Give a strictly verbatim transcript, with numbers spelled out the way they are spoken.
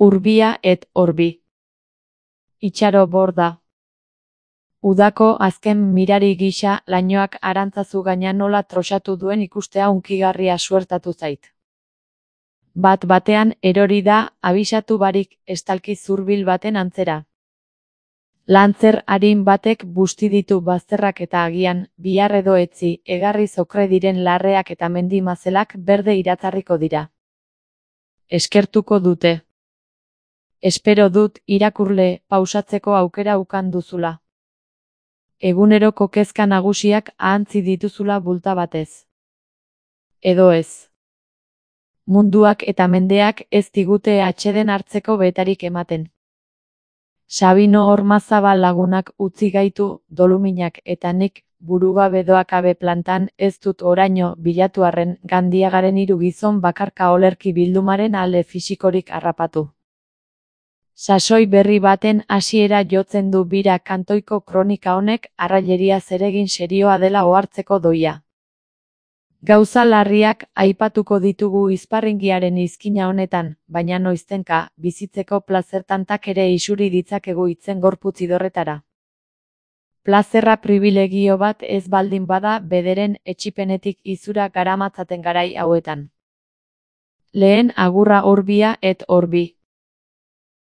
Urbia et orbi. Itxaro borda. Udako azken mirari gisa lainoak arantzazu gaina nola trosatu duen ikustea hunkigarria suertatu zait. Bat batean erori da, abisatu barik, estalki zurbil baten antzera. Lantzer arin batek busti ditu bazterrak eta agian, bihar edo etzi, egarri zokre diren larreak eta mendi mazelak berde iratzarriko dira. Eskertuko dute. Espero dut, irakurle, pausatzeko aukera ukan duzula. Eguneroko kezka nagusiak ahantzi dituzula bulta batez. Edo ez. Munduak eta mendeak ez digute atseden hartzeko betarik ematen. Sabino Ormazabal lagunak utzi gaitu, doluminak eta nik, burugabe doakabe plantan, ez dut oraino bilatu arren Gandiagaren hiru gizon bakarka olerki bildumaren alde fisikorik harrapatu. Sasoi berri baten hasiera jotzen du bira kantoiko kronika honek arraileria zeregin serioa dela ohartzeko doia. Gauza larriak aipatuko ditugu izparringiaren izkina honetan, baina noiztenka, bizitzeko plazertantak ere isuri ditzakegu itzen gorputz idorretara. Plazerra pribilegio bat ez baldin bada bederen etsipenetik izura garamatzaten garai hauetan. Lehen agurra Urbia et orbi.